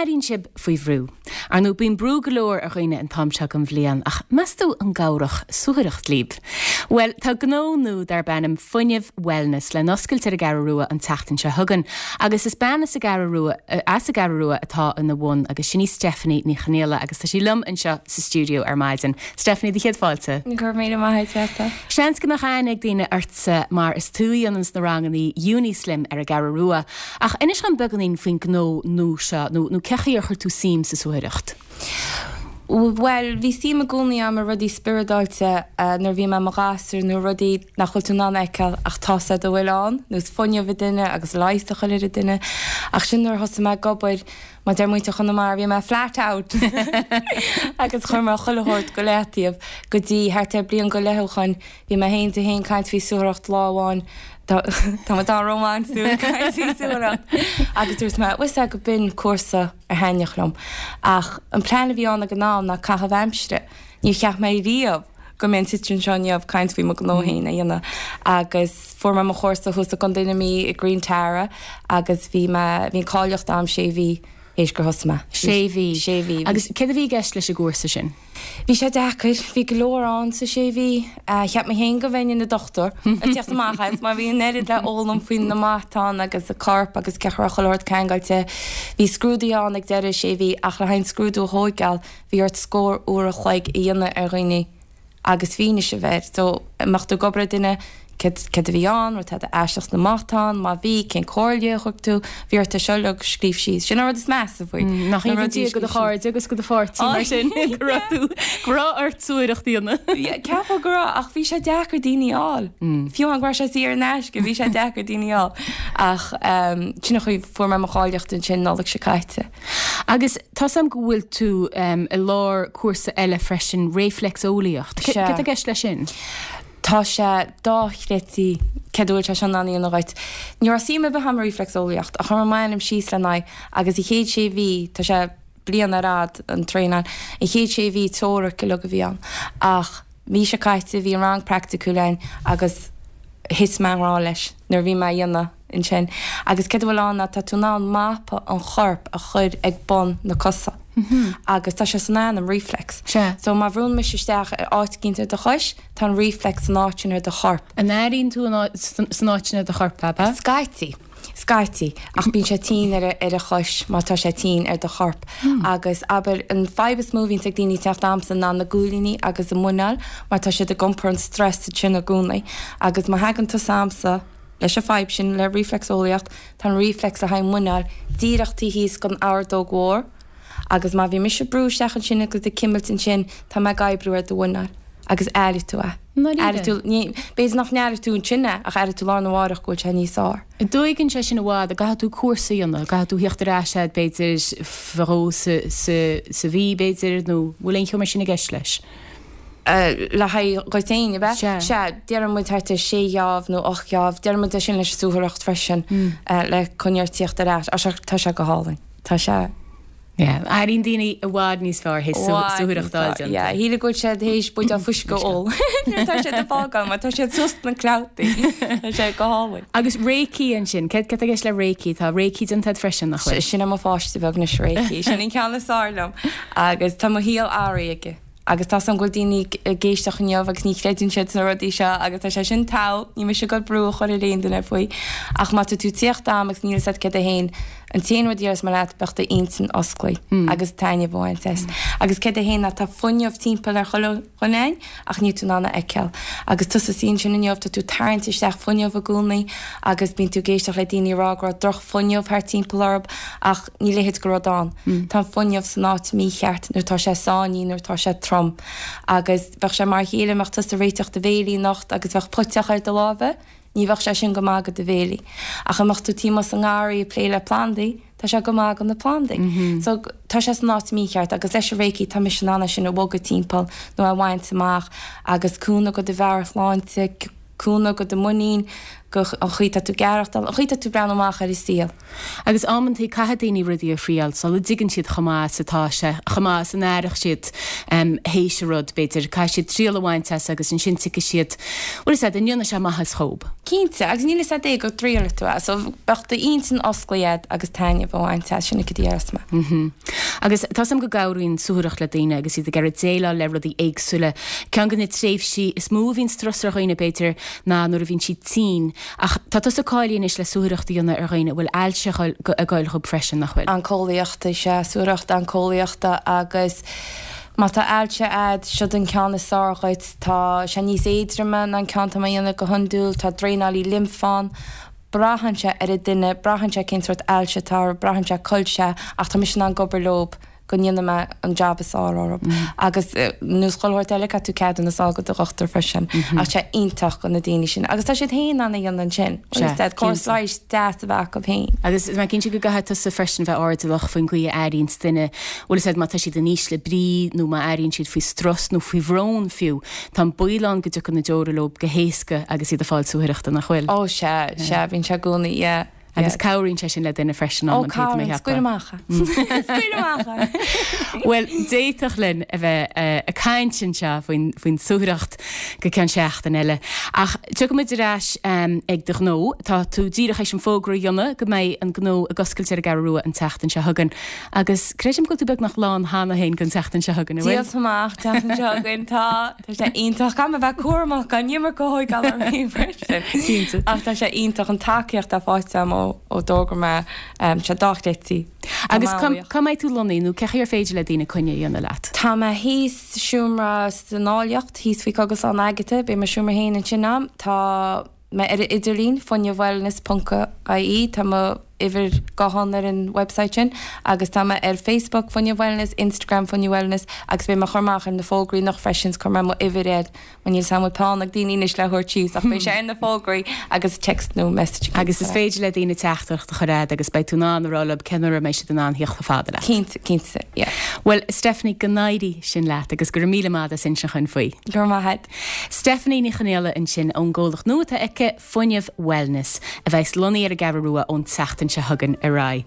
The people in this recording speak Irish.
n-airíonn sibh faoi bhrú? Ar ndóigh, bíonn brú go leor ar dhaoine an t-am seo den bhliain, ach meas tú an gcabhródh suathaireacht libh? Bhuel, tá gnó nua darb ainm Fuinneamh Wellness le n-oscailt ar an gCeathrú Rua an tseachtain seo chugainn, agus is bean as an gCeathrú Rua, as an gCeathrú Rua atá ina bhun, agus sin í Stephanie Ní Chonghaile, agus tá sí liom anseo sa stiúideo ar maidin. Stephanie, do chéad fáilte. Go raibh míle maith agat, Treasa. Seans go mbeadh aithne ag daoine ortsa mar is tú a dhéananns na rangannaí Unislim ar an gCeathrú Rua. Ach inis dhom beagáinín faoin gnó nua seo, nó nó cén chaoi ar chuir tú suim sa suathaireacht? Bhuel, bhí suim i gcónaí agam i rudaí spioradáilte nuair a bhí mé i mo ghasúr, nó rudaí nach bhfuil tú in ann a fheiceáil ach tá 's agat go bhfuil ann, nós fuinneamh i duine agus leigheas a chur ar an duine. Ach sin nuair a thosaigh mé ag obair, mar deir muintir Chonamara, bhí mé flat out! agus chuir mé chuile shórt go leataobh go dtí thart ar bliain go leith ó shoin. Bhí mé féin di féin caint faoi suathaireacht lá amháin, tá mé tá rómánsúil caint faoi suathaireacht, agus dúirt mé, bhfuil 's agat go b'in cúrsa a thaitneodh liom. Ach an plean a bhí ann ag an am ná caitheamh aimsire. Níor cheap mé riamh go mbeinn suite anseo inniu ag caint faoi mo ghnó féin a dhéanamh. Agus fuair mé mo chúrsa thuas i gContae na Mí i Green Tara agus bhí mé, bhí an cáilíocht a'm sé mhí théis gur thosaigh mé. Sé mhí. Sé mhí. Agus céard a bhí i gceist leis an gcúrsa sin? Bhí sé deacair. Bhí go leor ann sa sé mhí. Cheap mé féin go mbeinn ina dochtúir ag tíocht amach as mar bhí an oiread le fhoghlaim faoi na matáin agus an corp agus cén chaoi a raibh chuile shórt ceangailte. Bhí scrúduithe ann ag deireadh sé mhí ach le haghaidh an scrúdú a thóigeáil bhí ort scór uair a chloig a dhéanamh ar dhaoine agus fianaise a bheith air. So, an mbeadh tú ag obair ar duine, céard, céard a bhí ann, raibh tada aisteach sna matáin, má bhí, cén comhairle a thug tú, bhí ort é seo uilig a scríobh síos. Sin an rud is measa faoi. Nach Na ionann rudaí a Dia do do scríobh síos. chairde agus do do pháirtí mar sin go raibh tú, go raibh ort suathaireacht a dhéanamh. Yeah, ceapadh go raibh, ach bhí sé deacair daoine a fháil. Fiú amháin go raibh sé saor in aisce, bhí sé deacair daoine a fháil. Ach sin an chaoi, fuair mé mo cháilíocht ansin Nollaig seo caite. Agus tá 's a'm go bhfuil tú i lár cúrsa eile freisin, réifleacseolaíocht. Sea. Céard tá i gceist leis sin? Tá sé dochreidte céard a bhfuil sé seo in ann a dhéanamh dhuit. Ní raibh suim ar bith a'm i réifleacseolaíocht ach chuir mé m'ainm síos lena aghaidh agus an chéad sé mhí, tá sé bliain ar fhad an traenáil, an chéad sé mhí teoiric uilig a bhí ann ach mí seo caite bhí an rang praiticiúil ann agus thit mé i ngrá leis nuair a bhí mé á dhéanamh. ansin. Agus céard a bhfuil ann ná tá tú in ann mapa an choirp a chur ag bun na cosa. Agus tá sé san ainm, reflex. Sea. So má bhrúnn mise isteach ar áit eicínt ar do chois, tá an reflex san áit sin ar do chorp. An airíonn tú san áit sin ar do chorp, ab ea? Scaití. Scaití. Ach bíonn sé tinn ar ar an chois má tá sé tinn ar do chorp. Agus abair, an fadhb is mó a bhíonns ag daoine ag teacht a'msa ná na guaillíní agus an muineál mar tá siad ag iompar an stress sin i gcónaí. Agus má thagann tusa a'msa, Leis an fadhb sin le rífleacseolaíocht, tá an rífleacs le haghaidh muineáil díreach taobh thíos den ordóg mhór agus má bhí mise ag brú isteach ansin agus ag cimilt ansin, tá mé ag oibriú ar do mhuineál agus aireoidh tú é. Ndáiríre? Aireoidh tú, ní, b'fhéidir nach n-aireoidh tú ansin é ach aireoidh tú lá arna mháireach go bhfuil sé níos fearr. An dtóigeann sé sin i bhfad, an gcaithfidh tú cúrsa a dhéanamh, an gcaithfidh tú theacht ar ais agat b'fhéidir fadó sa, sa, sa mhí b'fhéidir nó bhfuil aon cheo mar sin i gceist leis? le haghaidh dhuit féin, ab ea? Sea. Sea, deireann muid thart ar sé gheábh nó ocht gheábh. Deireann muid é sin leis an suathaireacht freisin, le coinneáil tíocht ar ais. Ach tá sé go hálainn. Tá sé. Yeah. Airíonn daoine i bhfad níos fearr théis suathaireacht a fháil déanta. Yeah, shílfeá go bhfuil siad théis buidéal fuisce a ól nuair atá siad ag fágáil mar tá siad suas na clabhtaí. Tá sé go hálainn. Agus Reiki ansin, céard atá i gceist le Reiki? Tá Reiki déanta agat freisin, nach bhfuil? Sin é mo pháiste beag anois, Reiki. Sin an ceann is fearr liom. Agus tá mo shaol athraithe aige. Agus tá 's agam go bhfuil daoine ag éisteacht inniu agus ní chreideann siad sna rudaí seo agus tá sé sin togha, ní mise ag dul brú a chur ar aon duine faoi. Ach má tá tú ag tíocht a'm agus níl 'fhios a'd céard é féin, an t-aon rud a dhéarfas mé leat, bheadh d'intinn osclaithe agus taitneamh a bhaint as. Agus céard é féin ná tá fuinneamh timpeall ar chuile dhuine a'inn ach níl tú in ann a fheiceáil. Agus tusa suí ansin inniu, tá tú ag tarraingt isteach fuinneamh i gcónaí agus bíonn tú ag éisteacht le daoine ag rá go raibh droch-fhuinneamh thart timpeall orthu ach níl a leithéid de rud ann. Tá an fuinneamh san áit mícheart nuair atá sé sáinnithe, nuair atá sé trom. Agus bheadh sé mar a chéile, mbeadh tusa ag réiteach do bhéilí anocht agus bheadh puiteach ar do lámha, ní bheadh sé sin go maith do do bhéilí. Ach a mbeadh tú taobh amuigh sa ngarraí ag plé le plandaí, tá sé go maith do na plandaí. So tá sé san áit mícheart agus leis an Reiki tá mise in ann é sin a bhogadh timpeall nó a bhaint amach agus cúnamh do do mheabhairshláinte. cúnamh go do mhuinín, go an chaoi tá tú ag aireachtáil, an chaoi tá tú ag breathnú amach ar an saol. Agus amantaí caithfidh daoine rudaí a thriáil sula dtuigeann siad chomh maith is atá sé, chomh maith is a n-aireodh siad théis an rud, b'fhéidir. Caithfidh siad triail a bhaint as agus ansin tuigfidh siad, bhfuil fhios a'd, an ndéanfaidh sé maitheas dhób. Cinnte, agus níl fhios a'd é go dtriailfidh tú é, so bheadh d'intinn osclaithe a'd agus taitneamh a bhaint as, sin an chéad déarfas mé. Agus tá 'fhios a'm go gcabhraíonn suathaireacht le daoine agus iad ag iarraidh déileáil le rudaí éagsúla. Ceann de na tréimhsí is mó a bhíonn strus ar dhaoine, b'fhéidir, ná nuair a bhíonn siad tinn. Ach tá tusa cáilithe anois le suathaireacht a dhéanamh ar dhaoine a bhfuil ailse ag goil dhób freisin, nach bhfuil? Anceolaíochta, is ea, suathaireacht anceolaíochta agus má tá ailse a'd, siod an ceann is fearr dhuit. Tá sé níos éadroime ná an ceann atá mé a dhéanamh go hiondúil, tá draenálaí limfe ann. Braitheann sé ar an duine, braitheann sé cén sórt ailse atá orthu, braitheann sé cá bhfuil sé ach tá mise in ann ag obair leob go ndéanfaidh mé an jab is fearr orthu. Agus nós chuile shórt eile, caithfidh tú ceadúnas a fháil go do dhochtúir freisin. Ach tá sé iontach go na daoine sin. Agus tá siad féin in ann a dhéanamh ansin. Sea, cinnte. Córas leighis deas a bheith acu féin. Agus tá mé cinnte go gcaithfidh tusa freisin bheith airdeallach faoin gcaoi a airíonns duine, bhfuil fhios a'd, má tá siad in ísle brí nó má airíonn siad faoi strus nó faoi bhrón fiú, tá an baol ann go dtiocfaidh na deora leo go héasca agus iad ag fáil suathaireachta, nach bhfuil? Ó sea, sea, bíonn sé i gcónaí, yeah. Agus cabhraíonn sé sin le duine freisin Ó, amantaí, tá mé ag cabhraíonn, scaoil ceapadh. amach é. Scaoil amach é. Bhuel, d'fhéadfadh linn a bheith ag caint anseo faoin, faoin suathaireacht go ceann seachtain eile. Ach tiocfaidh muid ar ais ag do ghnó. Tá tú díreach théis an fógra a dhéanamh go mbeidh an gnó ag oscailt ar an gCeathrú Rua an tseachtain seo chugainn. Agus creidim go bhfuil tú beagnach lán cheana féin don tseachtain seo chugainn, an bhfuil? Díolta amach, tseachtain seo chugainn, tá, tá sé iontach. Caithfidh mé a bheith cúramach gan iomarca a thóigeáil orm féin freisin. Cinnte. Ach tá sé iontach an tacaíocht atá faighte agam ó ó d'fhógair mé, tá sé dochreidte. Tá Agus mé an-bhuíoch. cá mbeidh tú lonnaithe nó cé chaoi ar féidir le daoine coinne a dhéanamh leat? Tá mé thíos sa seomra san Áilleacht, thíos faoi Cogaslann Agatha, beidh mo seomra féin ansin a'm. Tá. mé ar an idirlíon, fuinneamhwellness ponc ie, tá mo uimhir gutháin ar an website sin agus tá mé ar Facebook, Fuinneamh Wellness, Instagram, Fuinneamh Wellness agus beidh mé ag cur amach ar na fógraí anocht freisin, cuirfidh mé mo uimhir air, mar níl 's a'm an bhfuil peann ag daoine anois le thabhairt síos ach beidh sé ar na fógraí agus text nó message Agus is féidir le daoine teachtaireacht a chur a'd agus beidh tú in ann a rá leo cén uair a mbeidh siad in ann theacht chomh fada leat. Cinnte, cinnte, yeah. Bhuel, Stephanie, go n-éirí sin leat agus go raibh míle maith agat as insint dhúinn faoi. Go raibh maith a'd. Stephanie Ní Chonaola ansin ón gcomhlacht nua atá aici, Fuinneamh Wellness, a bheas lonnaithe ar an gCeathrú Rua ón tseachtain seo chugainn ar aghaidh.